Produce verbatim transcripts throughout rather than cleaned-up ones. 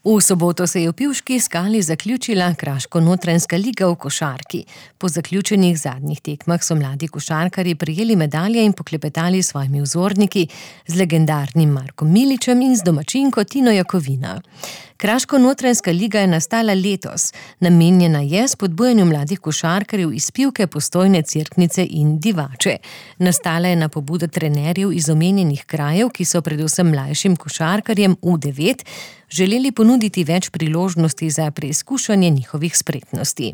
V soboto se je v Pivški skali zaključila Kraško-Notranjska liga v košarki. Po zaključenih zadnjih tekmah so mladi košarkarji prejeli medalje in poklepetali s svojimi vzorniki, z legendarnim Markom Miličem in z domačinko Tino Jakovina. Kraško-Notranjska liga je nastala letos. Namenjena je spodbujanju mladih košarkarjev iz Pivke, Postojne, Cerknice in Divače. Nastala je na pobudo trenerjev iz omenjenih krajev, ki so predvsem mlajšim košarkarjem U devet želeli ponuditi več priložnosti za preizkušanje njihovih spretnosti.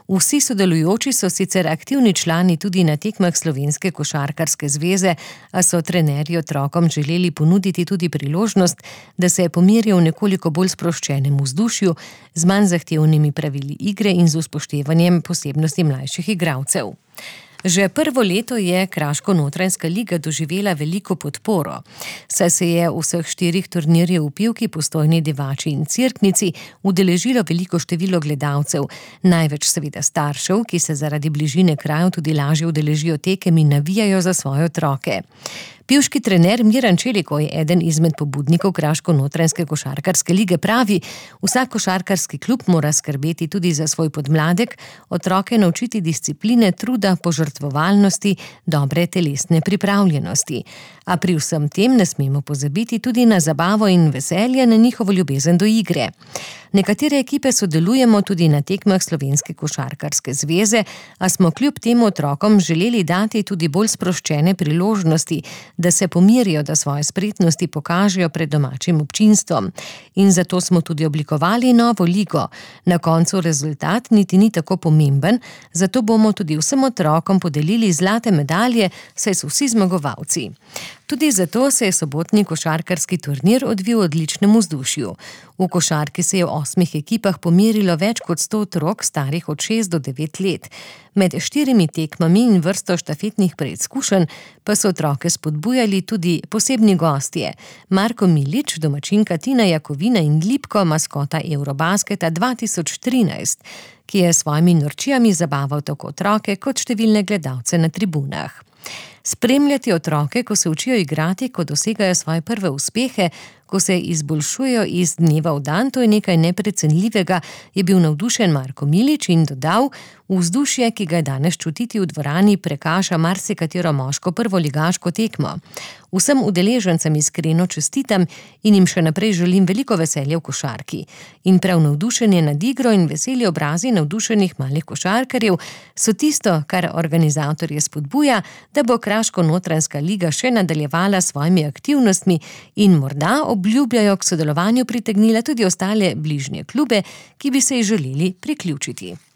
Vsi sodelujoči so sicer aktivni člani tudi na tekmah Slovenske košarkarske zveze, a so trenerji otrokom želeli ponuditi tudi priložnost, da se pomirijo v nekoliko bolj sproščenem vzdušju, z manj zahtevnimi pravili igre in z upoštevanjem posebnosti mlajših igralcev. Že prvo leto je Kraško-Notranjska liga doživela veliko podporo, saj se je vseh štirih turnirjev v Pivki, Postojni, Divači in Cerknici udeležilo veliko število gledalcev, največ seveda staršev, ki se zaradi bližine krajev tudi lažje udeležijo tekem in navijajo za svoje otroke. Pivški trener Miran Čelikoj, eden izmed pobudnikov Kraško-Notranjske košarkarske lige, pravi: vsak košarkarski klub mora skrbeti tudi za svoj podmladek, otroke naučiti discipline, truda, požrtvovalnosti, dobre telesne pripravljenosti. A pri vsem tem ne smemo pozabiti tudi na zabavo in veselje, na njihovo ljubezen do igre. Nekatere ekipe sodelujemo tudi na tekmah Slovenske košarkarske zveze, a smo kljub temu otrokom želeli dati tudi bolj sproščene priložnosti, da se pomirijo, da svoje spretnosti pokažejo pred domačim občinstvom. In zato smo tudi oblikovali novo ligo. Na koncu rezultat niti ni tako pomemben, zato bomo tudi vsem otrokom podelili zlate medalje, saj so vsi zmagovalci. Tudi zato se je sobotni košarkarski turnir odvil v odličnem vzdušju. V košarki se je v osmih ekipah pomerilo več kot sto otrok, starih od šest do devet let. Med štirimi tekmami in vrsto štafetnih preizkušenj pa so otroke spodbujali tudi posebni gostje. Marko Milič, domačinka Tina Jakovina in Lipko, maskota Eurobasketa dva tisoč trinajst, ki je s svojimi norčijami zabaval tako otroke kot številne gledalce na tribunah. Spremljati otroke, ko se učijo igrati, ko dosegajo svoje prve uspehe, ko se izboljšujejo iz dneva v dan, to je nekaj neprecenljivega, je bil navdušen Marko Milič in dodal: vzdušje, ki ga je danes čutiti v dvorani, prekaša marsikatero moško prvoligaško tekmo. Vsem udeležencem iskreno čestitam in jim še naprej želim veliko veselja v košarki. In prav navdušenje nad igro in veseli obrazi navdušenih malih košarkarjev so tisto, kar organizatorje spodbuja, da bo Kraško-Notranjska liga še nadaljevala s svojimi aktivnostmi in morda obljubljajo k sodelovanju pritegnila tudi ostale bližnje klube, ki bi se ji želeli priključiti.